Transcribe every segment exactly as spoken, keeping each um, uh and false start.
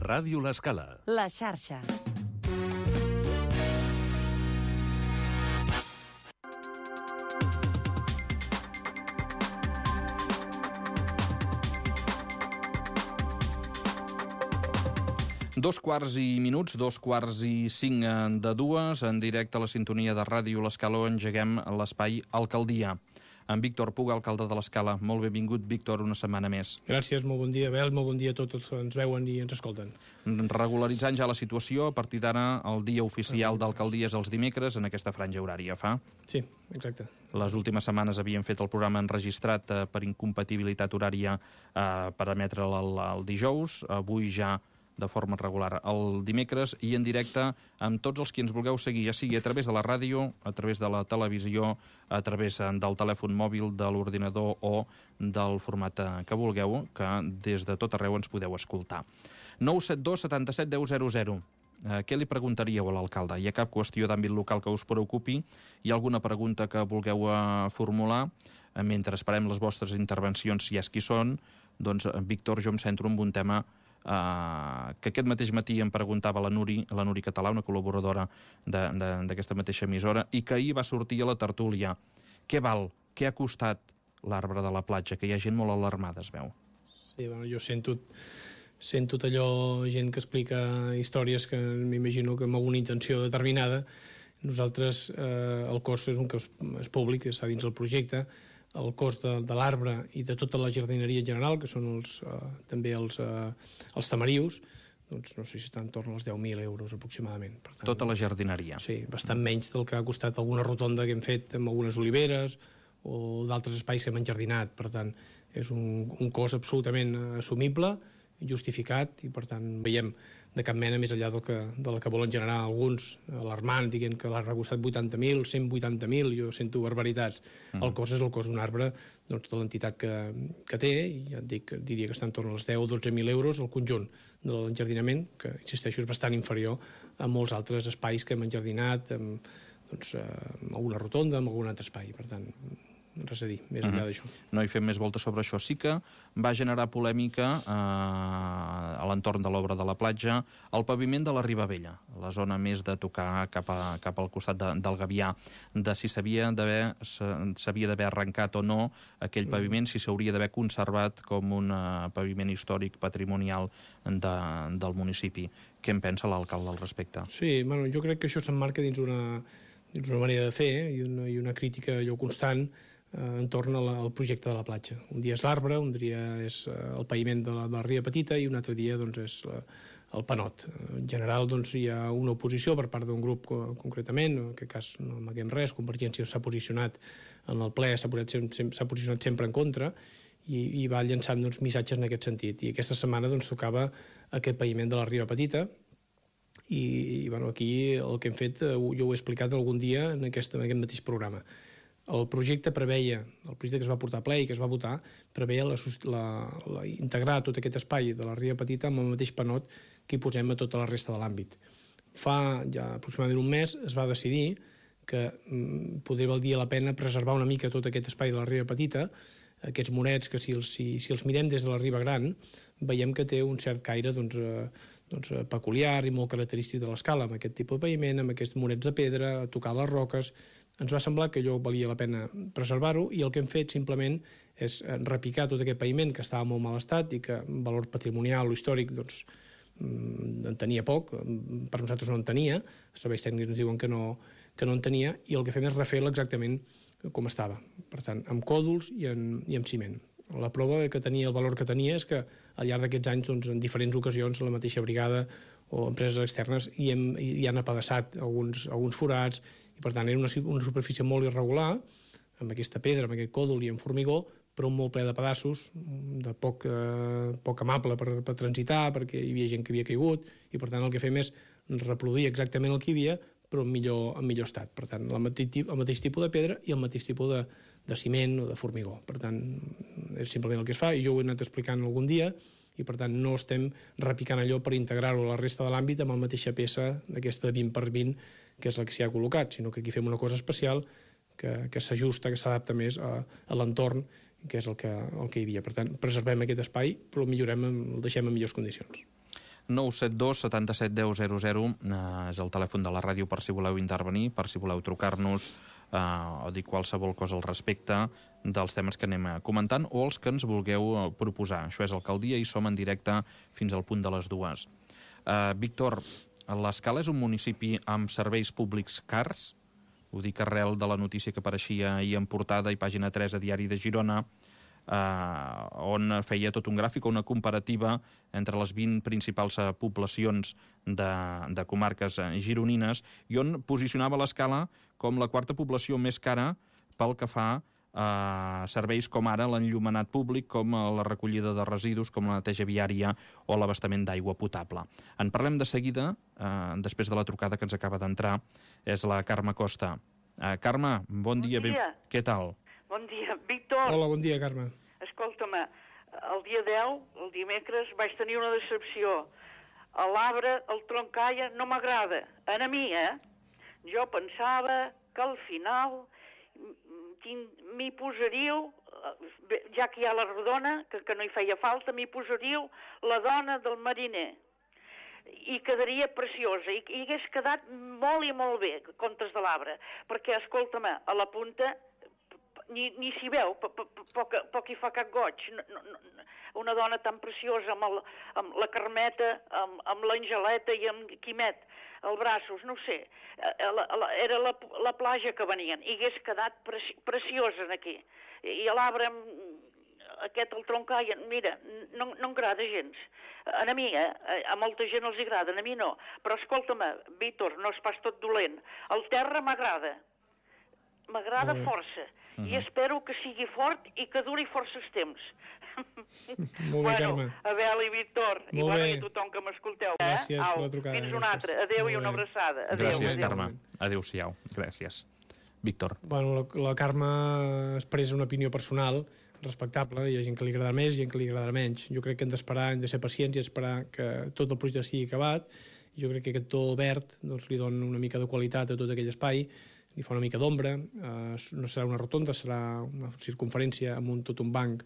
Ràdio L'Escala. La xarxa. Dos quarts i minuts, dos quarts i cinc de dues, en directe a la sintonia de Ràdio L'Escala, engeguem l'espai Alcaldia. En Víctor Puga, alcalde de l'Escala. Molt benvingut, Víctor, una setmana més. Gràcies, molt bon dia, Abel, molt bon dia a tots els que ens veuen i ens escolten. Regularitzant ja la situació, a partir d'ara el dia oficial d'alcaldia és els dimecres, en aquesta franja horària, fa? Sí, exacte. Les últimes setmanes havien fet el programa enregistrat eh, per incompatibilitat horària eh, per emetre'l el, el dijous, avui ja de forma regular el dimecres i en directe amb tots els qui ens vulgueu seguir, ja sigui a través de la ràdio, a través de la televisió, a través del telèfon mòbil, de l'ordinador o del format que vulgueu, que des de tot arreu ens podeu escoltar. nou set dos setanta-set deu zero zero. Eh, què li preguntaríeu a l'alcalde? Hi ha cap qüestió d'àmbit local que us preocupi? Hi ha alguna pregunta que vulgueu eh, formular? Eh, mentre esperem les vostres intervencions, si és qui són, doncs, Víctor, jo em centro en un tema Uh, que aquest mateix matí em preguntava la Nuri, la Nuri Català, una col·laboradora d'aquesta mateixa emissora, i que ahir va sortir a la tertúlia. Què val? Què ha costat l'arbre de la platja? Que hi ha gent molt alarmada, es veu. Sí, bueno, jo sento, sento allò, gent que explica històries que m'imagino que amb alguna intenció determinada. Nosaltres, eh, el cost és un cost és públic, està dins del projecte. El cost de, de l'arbre i de tota la jardineria en general, que són els, eh, també els, eh, els tamarius, doncs no sé si està entorn als deu mil euros aproximadament. Per tant, tota la jardineria. Sí, bastant menys del que ha costat alguna rotonda que hem fet amb algunes oliveres o d'altres espais que hem enjardinat. Per tant, és un, un cost absolutament assumible, justificat, i per tant veiem de cap mena més enllà del que, del que volen generar alguns, alarmant, dient que l'ha costat vuitanta mil, cent vuitanta mil, jo sento barbaritats. Mm. El cost és el cost d'un arbre, doncs, tota l'entitat que, que té, i ja et dic, diria que està entorn als deu o dotze mil euros el conjunt de l'enjardinament, que, insisteixo, és bastant inferior a molts altres espais que hem enjardinat, amb, doncs, amb alguna rotonda, amb algun altre espai. Per tant, res a dir, més enllà d'això. No hi fem més voltes sobre això. Sí que va generar polèmica eh, a l'entorn de l'obra de la platja el paviment de la Ribavella, la zona més de tocar cap, a, cap al costat de, del Gavià, de si s'havia d'haver s'havia d'haver arrencat o no aquell paviment, si s'hauria d'haver conservat com un uh, paviment històric patrimonial de, del municipi. Què en pensa l'alcalde al respecte? Sí, bueno, jo crec que això s'emmarca dins una, dins una manera de fer, eh, i, una, i una crítica allò constant entorn al projecte de la platja. Un dia és l'arbre, un dia és el paviment de la, de la Ria Petita i un altre dia doncs, és la, el panot. En general doncs, hi ha una oposició per part d'un grup concretament, en aquest cas no amaguem res, Convergència s'ha posicionat en el ple, s'ha posicionat sempre en contra i, i va llançant doncs, missatges en aquest sentit. I aquesta setmana doncs, tocava aquest paviment de la Ria Petita i, i bueno, aquí el que hem fet, jo ho he explicat algun dia en aquest, en aquest mateix programa. El projecte preveia, el projecte que es va portar a ple i que es va votar, preveia la, la, la, integrar tot aquest espai de la Ria Petita amb el mateix panot que hi posem a tota la resta de l'àmbit. Fa ja aproximadament un mes es va decidir que mm, podria valer la pena preservar una mica tot aquest espai de la Ria Petita, aquests morets que si els, si, si els mirem des de la Riba Gran veiem que té un cert caire doncs, eh, doncs, peculiar i molt característic de l'Escala, amb aquest tipus de paviment, amb aquests morets de pedra, a tocar les roques. Ens va semblar que allò valia la pena preservar-ho i el que hem fet simplement és repicar tot aquest paviment que estava en molt mal estat i que en valor patrimonial o històric doncs, en tenia poc, per nosaltres no en tenia, els serveis tècnics ens diuen que no, que no en tenia, i el que fem és refer-lo exactament com estava, per tant, amb còdols i, en, i amb ciment. La prova que tenia el valor que tenia és que al llarg d'aquests anys, doncs, en diferents ocasions, la mateixa brigada o empreses externes hi, hem, hi han apedaçat alguns, alguns forats, i per tant era una, una superfície molt irregular, amb aquesta pedra, amb aquest còdol i amb formigó, però molt ple de pedaços, de poc, eh, poc amable per, per transitar, perquè hi havia gent que havia caigut, i per tant el que fem és reproduir exactament el que hi havia, però en millor, en millor estat. Per tant, el mateix, el mateix tipus de pedra i el mateix tipus de, de ciment o de formigó. Per tant, és simplement el que es fa, i jo ho he anat explicant algun dia, i per tant no estem repicant allò per integrar-ho a la resta de l'àmbit amb la mateixa peça d'aquesta de vint per vint, que és la que s'hi ha col·locat, sinó que aquí fem una cosa especial que, que s'ajusta, que s'adapta més a, a l'entorn, que és el que, el que hi havia. Per tant, preservem aquest espai, però el millorem, el deixem en millors condicions. nou set dos setanta-set deu zero zero eh, és el telèfon de la ràdio per si voleu intervenir, per si voleu trucar-nos eh, o dir qualsevol cosa al respecte dels temes que anem comentant o els que ens vulgueu proposar. Això és Alcaldia i som en directe fins al punt de les dues. Eh, Víctor, l'Escala és un municipi amb serveis públics cars? Ho dic arrel de la notícia que apareixia ahir en portada i pàgina tres a Diari de Girona, eh, on feia tot un gràfic, una comparativa entre les vint principals eh, poblacions de, de comarques eh, gironines i on posicionava l'Escala com la quarta població més cara pel que fa a serveis com ara l'enllumenat públic, com la recollida de residus, com la neteja viària o l'abastament d'aigua potable. En parlem de seguida, eh, després de la trucada que ens acaba d'entrar, és la Carme Costa. Eh, Carme, bon, bon dia. dia. Què tal? Bon dia, Víctor. Hola, bon dia, Carme. Escolta'm, el dia deu, el dimecres, vaig tenir una decepció. A l'arbre, el troncalla, no m'agrada. A mi, eh? Jo pensava que al final m'hi posaríeu, ja que hi ha la rodona, que, que no hi feia falta, m'hi posaríeu la dona del mariner. I quedaria preciosa, i, i hagués quedat molt i molt bé, Contes de l'Arbre, perquè, escolta'm, a la punta ni, ni s'hi veu, poc, poc hi fa cap goig. No, no, no. Una dona tan preciosa, amb, el, amb la Carmeta, amb, amb l'Angeleta i amb Quimet, els braços, no ho sé, la, la, era la, la platja que venien, i hagués quedat preci, preciosa aquí. I a l'arbre, aquest, el troncall, mira, no, no m'agrada gens. A mi, eh? A molta gent els agrada, a mi no. Però escolta'm, Víctor, no és pas tot dolent. El terra m'agrada, m'agrada mm. força, mm-hmm. i espero que sigui fort i que duri forces temps. Molt bé, bueno, Carme. Abel i Víctor, i, bueno, i tothom que m'escolteu. Eh? Gràcies Au, per la trucada. Fins una altra. Adéu i una abraçada. Adéu, Gràcies, adéu. Carme. Adéu-siau. Gràcies. Víctor. Bueno, la, la Carme expressa una opinió personal respectable, hi ha gent que li agradarà més i gent que li agradarà menys. Jo crec que hem d'esperar, hem de ser pacients i esperar que tot el projecte estigui acabat. Jo crec que aquest to verd doncs, li dona una mica de qualitat a tot aquell espai, li fa una mica d'ombra, eh, no serà una rotonda, serà una circunferència amb un, tot un banc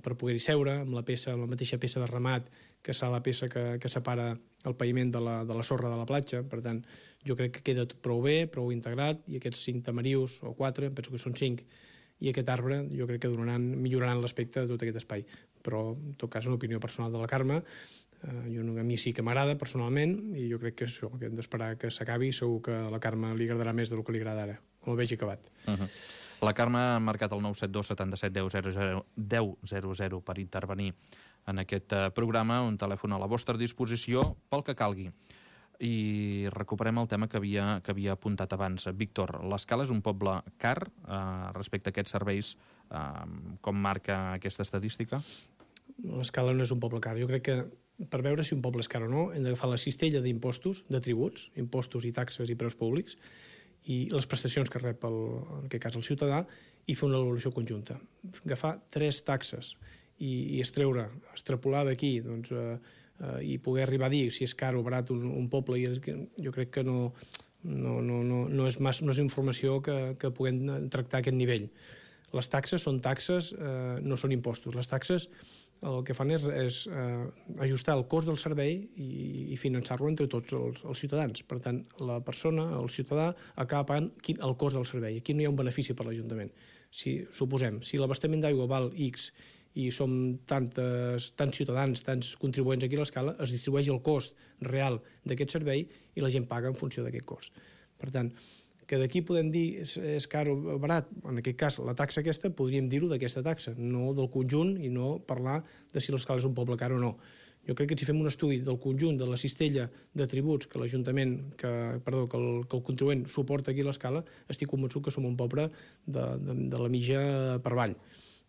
per poder-hi seure, amb la peça, amb la mateixa peça de remat, que serà la peça que, que separa el paviment de la, de la sorra de la platja. Per tant, jo crec que queda tot prou bé, prou integrat, i aquests cinc tamarius, o quatre, penso que són cinc, i aquest arbre jo crec que donaran, milloraran l'aspecte de tot aquest espai. Però, en tot cas, una opinió personal de la Carme, eh, jo, a mi sí que m'agrada personalment, i jo crec que això, que hem d'esperar que s'acabi, segur que a la Carme li agradarà més del que li agrada ara, com el vegi acabat. Uh-huh. La Carme ha marcat el nou set dos setanta-set deu zero zero per intervenir en aquest programa, un telèfon a la vostra disposició pel que calgui. I recuperem el tema que havia, que havia apuntat abans. Víctor, l'Escala és un poble car eh, respecte a aquests serveis, eh, com marca aquesta estadística? L'Escala no és un poble car. Jo crec que per veure si un poble és car o no hem d'agafar la cistella d'impostos, de tributs, impostos i taxes i preus públics, i les prestacions que rep, el, en aquest cas, el ciutadà, i fer una valoració conjunta. Agafar tres taxes i, i extreure, extrapolar d'aquí, doncs, eh, eh, i poder arribar a dir si és car o barat un, un poble, i jo crec que no, no, no, no, no, és, mas, no és informació que, que puguem tractar a aquest nivell. Les taxes són taxes, eh, no són impostos. Les taxes el que fan és, és eh, ajustar el cost del servei i, i finançar-lo entre tots els, els ciutadans. Per tant, la persona, el ciutadà, acaba pagant quin, el cost del servei. Aquí no hi ha un benefici per l'Ajuntament. Si, suposem, si l'abastament d'aigua val X i som tantes, tants ciutadans, tants contribuents aquí a l'Escala, es distribueix el cost real d'aquest servei i la gent paga en funció d'aquest cost. Per tant, que d'aquí podem dir és, és car o barat, en aquest cas la taxa aquesta podríem dir-ho d'aquesta taxa, no del conjunt i no parlar de si l'Escala és un poble car o no. Jo crec que si fem un estudi del conjunt de la cistella de tributs que l'Ajuntament, que, perdó, que el, que el contribuent suporta aquí a l'Escala, estic convençut que som un poble de, de, de la mitja per avall.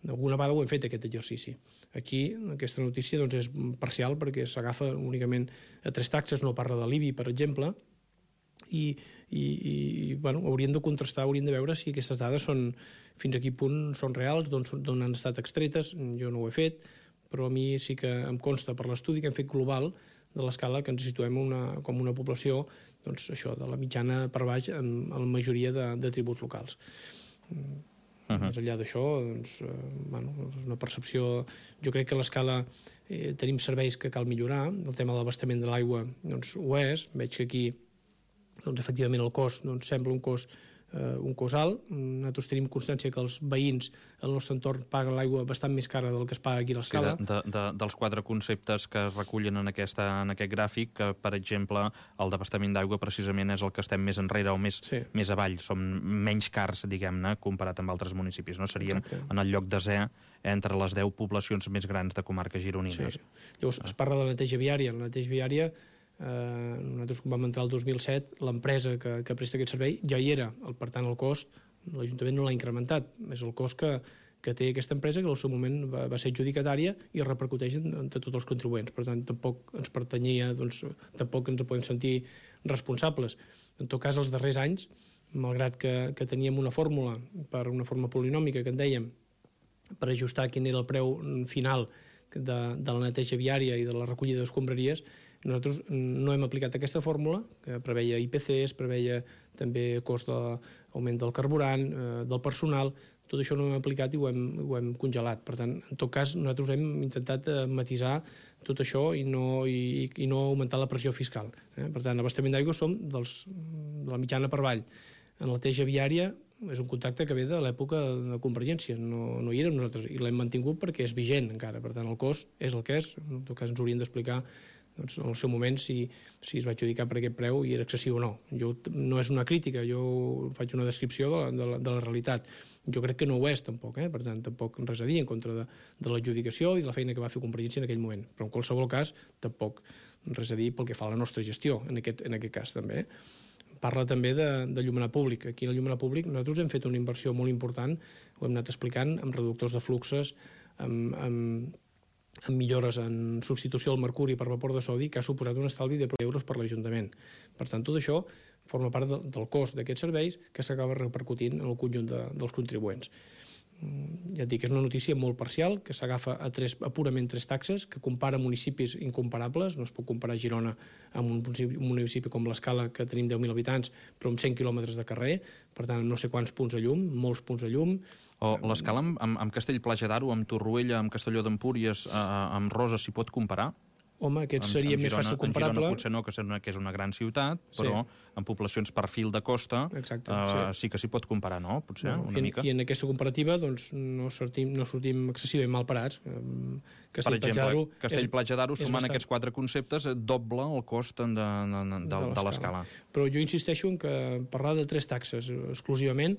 Alguna vegada ho hem fet, aquest exercici. Aquí, aquesta notícia doncs, és parcial perquè s'agafa únicament a tres taxes, no parla de l'I B I, per exemple, i, i, i bueno, hauríem de contrastar, hauríem de veure si aquestes dades són, fins a quin punt són reals, d'on han estat extretes. Jo no ho he fet, però a mi sí que em consta per l'estudi que hem fet global de l'Escala que ens situem una, com una població doncs, això, de la mitjana per baix en, en la majoria de, de tributs locals. Uh-huh. Més enllà d'això, doncs, eh, bueno, és una percepció... Jo crec que a l'escala eh, tenim serveis que cal millorar. El tema de l'abastament de l'aigua doncs, ho és. Veig que aquí, doncs, efectivament, el cost doncs, sembla un cost Uh, un cost alt. Nosaltres tenim constància que els veïns al nostre entorn paguen l'aigua bastant més cara del que es paga aquí a l'escala. Sí, de, de, dels quatre conceptes que es recullen en, aquesta, en aquest gràfic, que, per exemple, el d'abastament d'aigua precisament és el que estem més enrere o més, sí. més avall. Som menys cars, diguem-ne, comparat amb altres municipis. No? Seríem Exacte. en el lloc desè entre les deu poblacions més grans de comarques gironines. Sí. Llavors, es parla de la neteja viària. La neteja viària Eh, nosaltres quan vam entrar el dos mil set l'empresa que, que presta aquest servei ja hi era, el, per tant el cost l'Ajuntament no l'ha incrementat, és el cost que, que té aquesta empresa que al seu moment va, va ser adjudicatària i repercuteix entre tots els contribuents, per tant tampoc ens pertanyia, doncs tampoc ens podem sentir responsables. En tot cas els darrers anys, malgrat que, que teníem una fórmula per una forma polinòmica que en dèiem per ajustar quin era el preu final de, de la neteja viària i de la recollida d'escombraries, nosaltres no hem aplicat aquesta fórmula, que preveia I P Cs, preveia també cost d'augment del carburant, eh, del personal, tot això no ho hem aplicat i ho hem, ho hem congelat. Per tant, en tot cas, nosaltres hem intentat matisar tot això i no, i, i no augmentar la pressió fiscal. Eh? Per tant, l'abastament d'aigua som dels, de la mitjana per avall. En la neteja viària és un contracte que ve de l'època de Convergència, no, no hi érem nosaltres, i l'hem mantingut perquè és vigent encara. Per tant, el cost és el que és, en tot cas ens haurien d'explicar doncs, en el seu moment si, si es va adjudicar per aquest preu i era excessiu o no. Jo, no és una crítica, jo faig una descripció de la, de la, de la realitat. Jo crec que no ho és, tampoc, eh? Per tant, tampoc res a dir en contra de, de l'adjudicació i de la feina que va fer Convergència en aquell moment. Però en qualsevol cas, tampoc res a dir pel que fa a la nostra gestió, en aquest, en aquest cas també. Parla també de, de llumenar públic. Aquí en el llumenar públic nosaltres hem fet una inversió molt important, ho hem anat explicant, amb reductors de fluxes, amb, amb amb millores en substitució del mercuri per vapor de sodi, que ha suposat un estalvi de euros per l'Ajuntament. Per tant, tot això forma part de, del cost d'aquests serveis que s'acaba repercutint en el conjunt de, dels contribuents. Ja et dic, és una notícia molt parcial, que s'agafa a, tres, a purament tres taxes, que compara municipis incomparables. No es pot comparar Girona amb un municipi, un municipi com l'Escala, que tenim deu mil habitants, però amb cent quilòmetres de carrer, per tant, no sé quants punts de llum, molts punts de llum. O l'Escala amb, amb, amb Castell-Platja d'Aro, amb Torroella, amb Castelló d'Empúries, eh, amb Roses, s'hi pot comparar? Home, aquest amb, seria amb més Girona, fàcil comparable. En Girona potser no, que és una, que és una gran ciutat, però sí. En poblacions per fil de costa Exacte, eh, sí. sí que s'hi pot comparar, no? Potser, no, una i, mica. I en aquesta comparativa doncs, no, sortim, no sortim excessivament mal parats. Per exemple, Castell-Platja d'Aro, sumant bastant... aquests quatre conceptes, doble el cost de, de, de, de, de l'Escala. Però jo insisteixo en que parlar de tres taxes exclusivament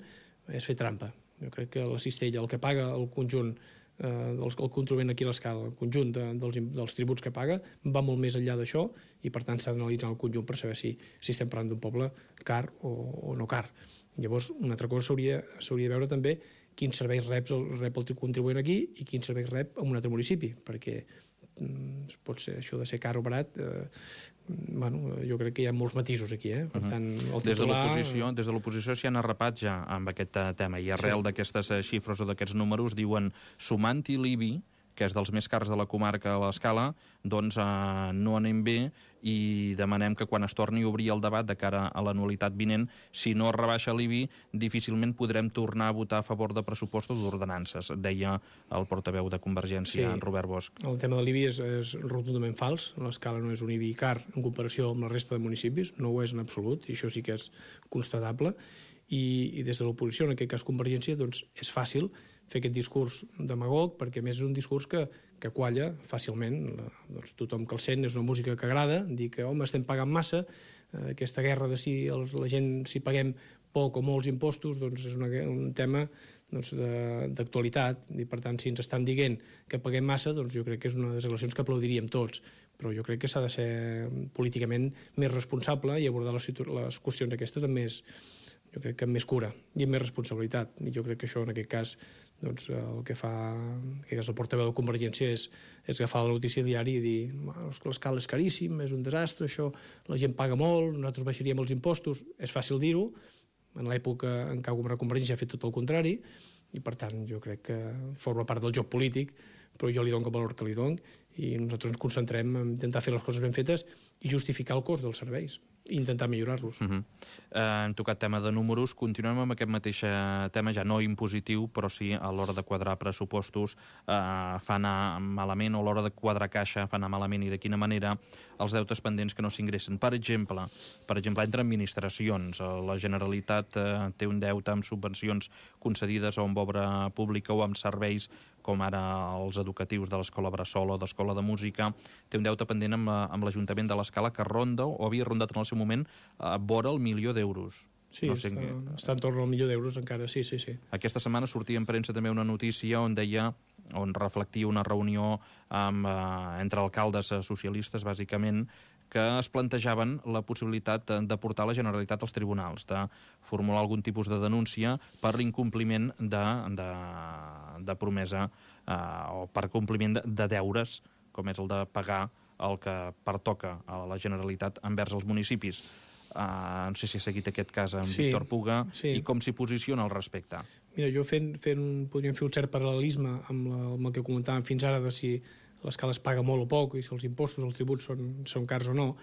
és fer trampa. Jo crec que la cistella, el que paga el conjunt, eh, el, el contribuent aquí a l'escala, el conjunt de, dels, dels tributs que paga, va molt més enllà d'això i, per tant, s'ha d'analitzar el conjunt per saber si, si estem parlant d'un poble car o, o no car. Llavors, una altra cosa s'hauria de veure també quins serveis rep el, rep el contribuent aquí i quins serveis rep en un altre municipi, perquè pot ser això de ser car o barat, eh, bueno, jo crec que hi ha molts matisos aquí, eh? Per tant, el titular... Des de l'oposició s'hi han arrapat ja amb aquest tema, i arrel sí. d'aquestes xifres o d'aquests números diuen, sumant-hi l'I B I, que és dels més cars de la comarca a l'Escala, doncs eh, no anem bé i demanem que quan es torni a obrir el debat de cara a l'anualitat vinent, si no es rebaixa l'I B I, difícilment podrem tornar a votar a favor de pressupostos d'ordenances, deia el portaveu de Convergència, sí. Robert Bosch. El tema de l'I B I és, és rotundament fals. L'Escala no és un I B I car en comparació amb la resta de municipis, no ho és en absolut, i això sí que és constatable. I, i des de l'oposició, en aquest cas Convergència, doncs és fàcil fer aquest discurs demagog, perquè a més és un discurs que, que qualla fàcilment. La, doncs tothom que el sent és una música que agrada, dir que home, estem pagant massa, eh, aquesta guerra de si els, la gent si paguem poc o molts impostos, doncs és una, un tema doncs, d'actualitat, i per tant si ens estan dient que paguem massa, doncs jo crec que és una de les declaracions que aplaudiríem tots, però jo crec que s'ha de ser políticament més responsable i abordar les, les qüestions aquestes amb més, jo crec que amb més cura i amb més responsabilitat. I jo crec que això, en aquest cas, doncs, el que fa en aquest cas, el portaveu de Convergència és, és agafar la notícia diària i dir l'escala és caríssim, és un desastre, això, la gent paga molt, nosaltres baixaríem els impostos. És fàcil dir-ho, en l'època en què la Convergència ha fet tot el contrari, i per tant jo crec que forma part del joc polític, però jo li dono el valor que li dono i nosaltres ens concentrem en intentar fer les coses ben fetes i justificar el cost dels serveis i intentar millorar-los. Uh -huh. eh, hem tocat tema de números, continuem amb aquest mateix tema, ja no impositiu, però sí a l'hora de quadrar pressupostos eh, fa anar malament, o a l'hora de quadrar caixa fa anar malament, i de quina manera els deutes pendents que no s'ingressen. Per exemple, per exemple, entre administracions, la Generalitat eh, té un deute amb subvencions concedides o amb obra pública o amb serveis com ara els educatius de l'Escola Bressol o d'Escola de Música, té un deute pendent amb, amb l'Ajuntament de l'Escala que ronda, o havia rondat en el seu moment, a vora el milió d'euros. Sí, no sé, està, que... està en torn al milió d'euros encara, sí, sí, sí. Aquesta setmana sortia en premsa també una notícia on deia, on reflectia una reunió amb, eh, entre alcaldes socialistes, bàsicament, que es plantejaven la possibilitat de portar la Generalitat als tribunals, de formular algun tipus de denúncia per l'incompliment de, de, de promesa eh, o per compliment de, de deures, com és el de pagar el que pertoca a la Generalitat envers els municipis. Uh, no sé si ha seguit aquest cas amb sí, Víctor Puga, sí. I com s'hi posiciona al respecte. Mira, jo fent, fent, podríem fer un cert paral·lelisme amb, la, amb el que comentàvem fins ara de si l'escala es paga molt o poc i si els impostos, els tributs són, són cars o no.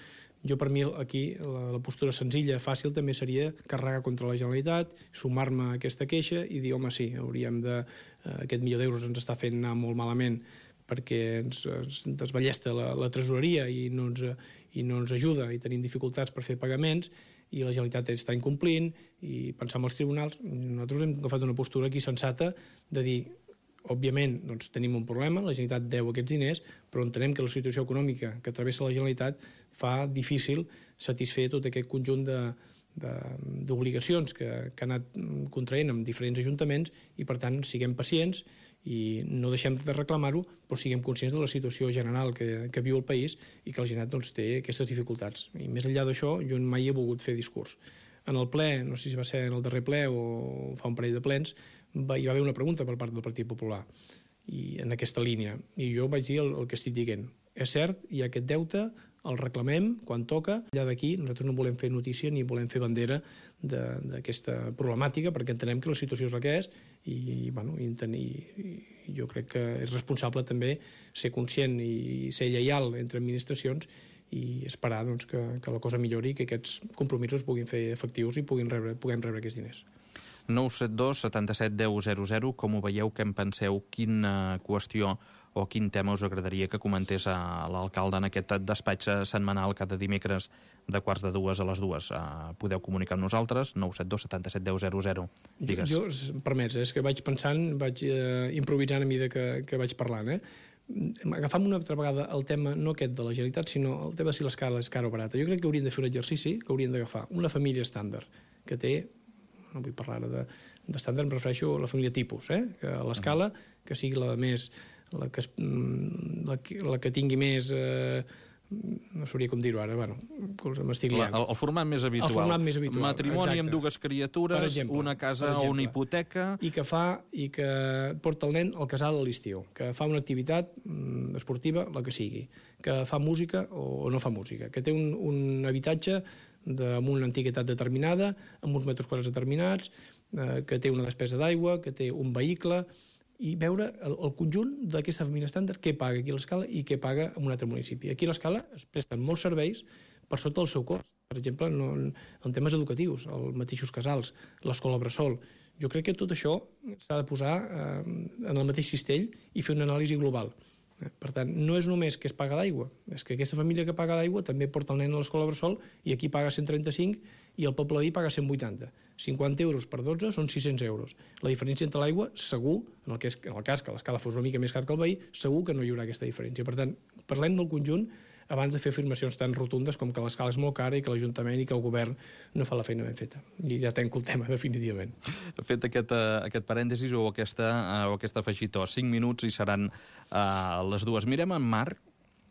Jo, per mi, aquí, la, la postura senzilla, fàcil, també seria carregar contra la Generalitat, sumar-me a aquesta queixa i dir, home, sí, hauríem de... Uh, aquest milió d'euros ens està fent anar molt malament perquè ens, ens desballesta la, la tresoreria i no, ens, i no ens ajuda i tenim dificultats per fer pagaments i la Generalitat està incomplint i pensar en els tribunals. Nosaltres hem agafat una postura aquí sensata de dir, òbviament, doncs, tenim un problema, la Generalitat deu aquests diners, però entenem que la situació econòmica que travessa la Generalitat fa difícil satisfer tot aquest conjunt de d'obligacions que, que ha anat contraent amb diferents ajuntaments i, per tant, siguem pacients i no deixem de reclamar-ho, però siguem conscients de la situació general que, que viu el país i que la Generalitat doncs, té aquestes dificultats. I més enllà d'això, jo mai he volgut fer discurs. En el ple, no sé si va ser en el darrer ple o fa un parell de plens, va, hi va haver una pregunta per part del Partit Popular i en aquesta línia. I jo vaig dir el, el que estic dient. És cert, hi ha aquest deute, el reclamem quan toca. Allà d'aquí nosaltres no volem fer notícia ni volem fer bandera d'aquesta problemàtica perquè entenem que la situació és la que és i, bueno, i, i jo crec que és responsable també ser conscient i ser lleial entre administracions i esperar doncs, que, que la cosa millori i que aquests compromisos puguin fer efectius i puguin rebre, puguem rebre aquests diners. nou set dos setanta-set deu zero zero, com ho veieu, què en penseu, quina qüestió o quin tema us agradaria que comentés a l'alcalde en aquest despatx setmanal cada dimecres de quarts de dues a les dues. Uh, podeu comunicar amb nosaltres, nou set dos setanta-set deu zero zero. Digues. Jo, jo permets, és que vaig pensant, vaig eh, improvisant a mesura que, que vaig parlant, eh? Agafant una altra vegada el tema, no aquest de la Generalitat, sinó el tema si l'escala és cara o barata. Jo crec que hauríem de fer un exercici que hauríem d'agafar una família estàndard que té, no vull parlar ara d'estàndard, em refereixo a la família tipus, eh? Que a l'escala, que sigui la més... La que, la, la que tingui més... Eh, no sabria com dir-ho ara, bueno, m'estic liant. El, el format més habitual. El format més habitual, matrimoni exacte. amb dues criatures, exemple, una casa o una hipoteca... I que fa, i que porta el nen al casal a l'estiu, que fa una activitat mm, esportiva, la que sigui, que fa música o no fa música, que té un, un habitatge de, amb una antiguitat determinada, amb uns metres quadrats determinats, eh, que té una despesa d'aigua, que té un vehicle... i veure el, el conjunt d'aquesta família estàndard, què paga aquí a l'Escala i què paga en un altre municipi. Aquí a l'Escala es presten molts serveis per sota del seu cost. Per exemple, no, en temes educatius, els mateixos casals, l'escola Bressol. Jo crec que tot això s'ha de posar eh, en el mateix cistell i fer una anàlisi global. Per tant, no és només que es paga d'aigua, és que aquesta família que paga d'aigua també porta el nen a l'escola Bressol i aquí paga cent trenta-cinc i el poble veí paga cent vuitanta. cinquanta euros per dotze són sis-cents euros. La diferència entre l'aigua, segur, en el, que és, en el cas que l'escala fos una mica més car que el veí, segur que no hi haurà aquesta diferència. Per tant, parlem del conjunt abans de fer afirmacions tan rotundes com que l'escala és molt cara i que l'Ajuntament i que el govern no fa la feina ben feta. I ja tanco el tema, definitivament. Fet aquest, uh, aquest parèntesis o aquesta, uh, o aquesta afegitó, cinc minuts i seran uh, les dues. Mirem en Marc,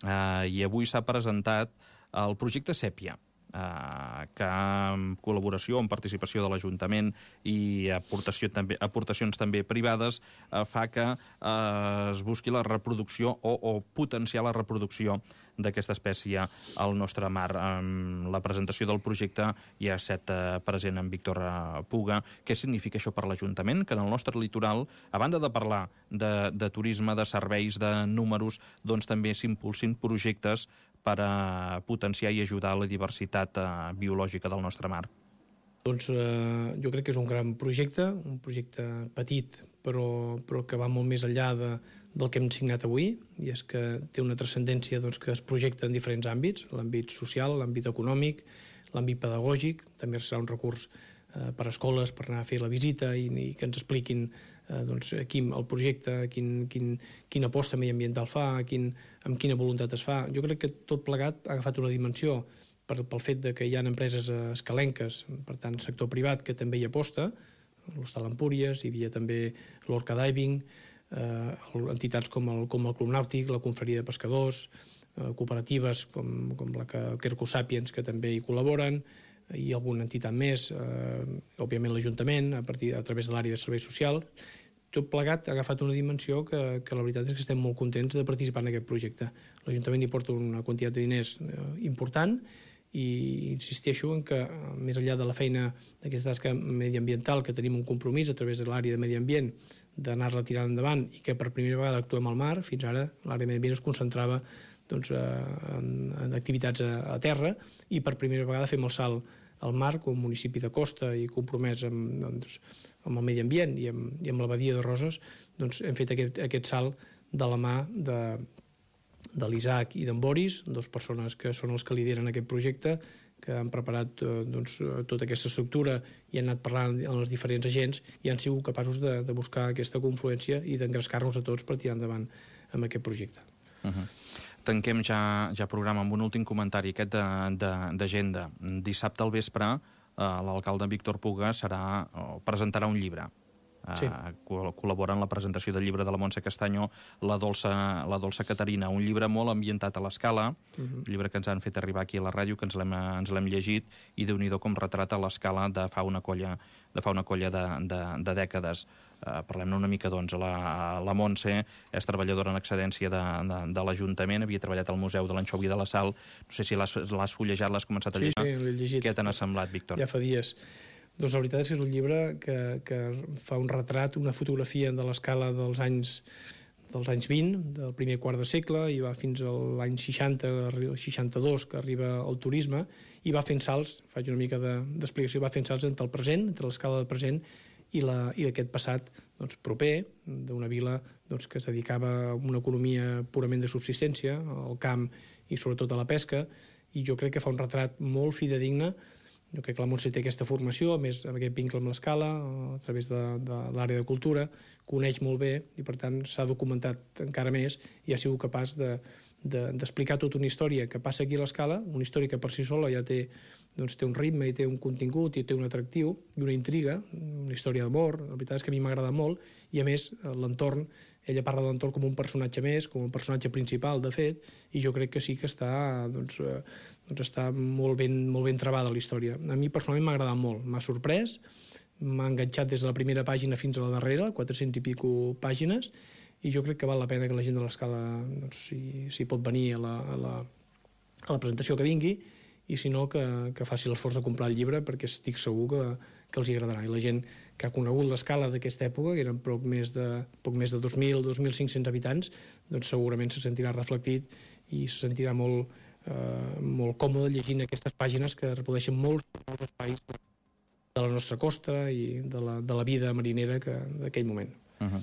uh, i avui s'ha presentat el projecte Sèpia. eh, que amb col·laboració, amb participació de l'Ajuntament i aportació, també, aportacions també privades, eh, fa que eh, es busqui la reproducció o, o potenciar la reproducció d'aquesta espècie al nostre mar. Amb la presentació del projecte hi ha set eh, present en Víctor eh, Puga. Què significa això per l'Ajuntament? Que en el nostre litoral, a banda de parlar de, de turisme, de serveis, de números, doncs també s'impulsin projectes per a potenciar i ajudar la diversitat eh, biològica del nostre mar. Doncs eh, jo crec que és un gran projecte, un projecte petit, però, però que va molt més enllà de, del que hem signat avui, i és que té una transcendència doncs, que es projecta en diferents àmbits, l'àmbit social, l'àmbit econòmic, l'àmbit pedagògic, també serà un recurs eh, per a escoles, per anar a fer la visita i, i que ens expliquin eh, doncs, quin, el projecte, quin, quin, quina aposta mediambiental fa, quin, amb quina voluntat es fa. Jo crec que tot plegat ha agafat una dimensió per, pel fet de que hi ha empreses escalenques, per tant, sector privat, que també hi aposta, l'Hostal Empúries, hi havia també l'Orca Diving, eh, entitats com el, com el Club Nàutic, la Confraria de Pescadors, eh, cooperatives com, com la que Quercus Sapiens, que també hi col·laboren, i alguna entitat més, eh, òbviament l'Ajuntament, a, partir, a través de l'àrea de servei social. Tot plegat ha agafat una dimensió que, que la veritat és que estem molt contents de participar en aquest projecte. L'Ajuntament hi porta una quantitat de diners eh, important, i insisteixo en que, més enllà de la feina d'aquesta tasca mediambiental, que tenim un compromís a través de l'àrea de medi ambient d'anar-la tirant endavant i que per primera vegada actuem al mar, fins ara l'àrea de medi ambient es concentrava doncs, en, en activitats a, a terra, i per primera vegada fem el salt al mar com a municipi de costa i compromès amb, doncs, amb el medi ambient i amb, i amb la badia de Roses, doncs hem fet aquest, aquest salt de la mà de de l'Isaac i d'en Boris, dues persones que són els que lideren aquest projecte, que han preparat eh, doncs, tota aquesta estructura i han anat parlant amb els diferents agents i han sigut capaços de, de buscar aquesta confluència i d'engrescar-nos a tots per tirar endavant amb aquest projecte. Uh-huh. Tanquem ja, ja programa amb un últim comentari, aquest d'agenda. Dissabte al vespre eh, l'alcalde Víctor Puga serà, o presentarà un llibre. Sí. Uh, col·labora en la presentació del llibre de la Montse Castanyo, La dolça, la dolça Caterina, un llibre molt ambientat a l'escala, uh-huh. un llibre que ens han fet arribar aquí a la ràdio, que ens l'hem llegit, i déu-n'hi-do com retrata l'escala de fa una colla de, fa una colla de, de, de dècades. Uh, parlem-ne una mica, doncs. La, la Montse és treballadora en excedència de, de, de l'Ajuntament, havia treballat al Museu de l'Anxovi de la Sal. No sé si l'has fullejat, l'has començat a llegir. Sí, sí, l'he llegit. Què te n'ha semblat, Víctor? Ja fa dies. Doncs la veritat és que és un llibre que, que fa un retrat, una fotografia de l'escala dels anys, dels anys vint, del primer quart de segle, i va fins a l'any seixanta, seixanta-dos, que arriba al turisme, i va fent salts, faig una mica d'explicació, va fent salts entre el present, entre l'escala del present i, la, i aquest passat doncs, proper, d'una vila doncs, que es dedicava a una economia purament de subsistència, al camp i sobretot a la pesca, i jo crec que fa un retrat molt fidedigne. Jo crec que la Montse té aquesta formació, a més amb aquest vincle amb l'escala, a través de, de l'àrea de cultura, coneix molt bé i per tant s'ha documentat encara més i ha sigut capaç de, de, d'explicar tota una història que passa aquí a l'escala, una història que per si sola ja té, doncs, té un ritme i té un contingut i té un atractiu i una intriga, una història d'amor. La veritat és que a mi m'agrada molt i a més l'entorn, ella parla de l'entorn com un personatge més, com un personatge principal, de fet, i jo crec que sí que està, doncs, eh, doncs està molt ben, molt ben trebada la història. A mi personalment m'ha agradat molt, m'ha sorprès, m'ha enganxat des de la primera pàgina fins a la darrera, quatre-cents i pico pàgines, i jo crec que val la pena que la gent de l'escala, doncs, si, si pot venir a la, a, la, a la presentació que vingui, i si no, que, que faci l'esforç de comprar el llibre, perquè estic segur que, que els agradarà. I la gent que ha conegut l'escala d'aquesta època, que eren poc més de, poc més de dos mil a dos mil cinc-cents habitants, doncs segurament se sentirà reflectit i se sentirà molt, eh, molt còmode llegint aquestes pàgines que reprodueixen molts, molts espais de la nostra costa i de la, de la vida marinera d'aquell moment. Uh-huh.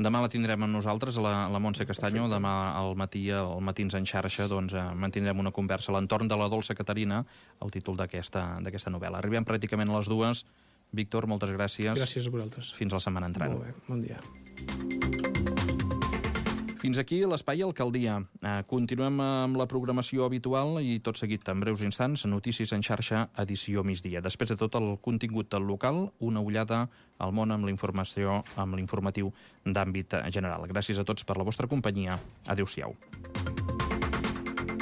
Demà la tindrem amb nosaltres, la, la Montse Castanyo. Perfecte. Demà al matí, al Matins en xarxa, doncs, eh, mantindrem una conversa a l'entorn de La dolça Caterina, el títol d'aquesta d'aquesta novel·la. Arribem pràcticament a les dues. Víctor, moltes gràcies. Gràcies a vosaltres. Fins la setmana entrant. Molt bé, bon dia. Fins aquí l'Espai Alcaldia. Eh, continuem amb la programació habitual i tot seguit, en breus instants, Notícies en xarxa, edició migdia. Després de tot el contingut del local, una ullada al món amb la informació, amb l'informatiu d'àmbit general. Gràcies a tots per la vostra companyia. Adéu-siau.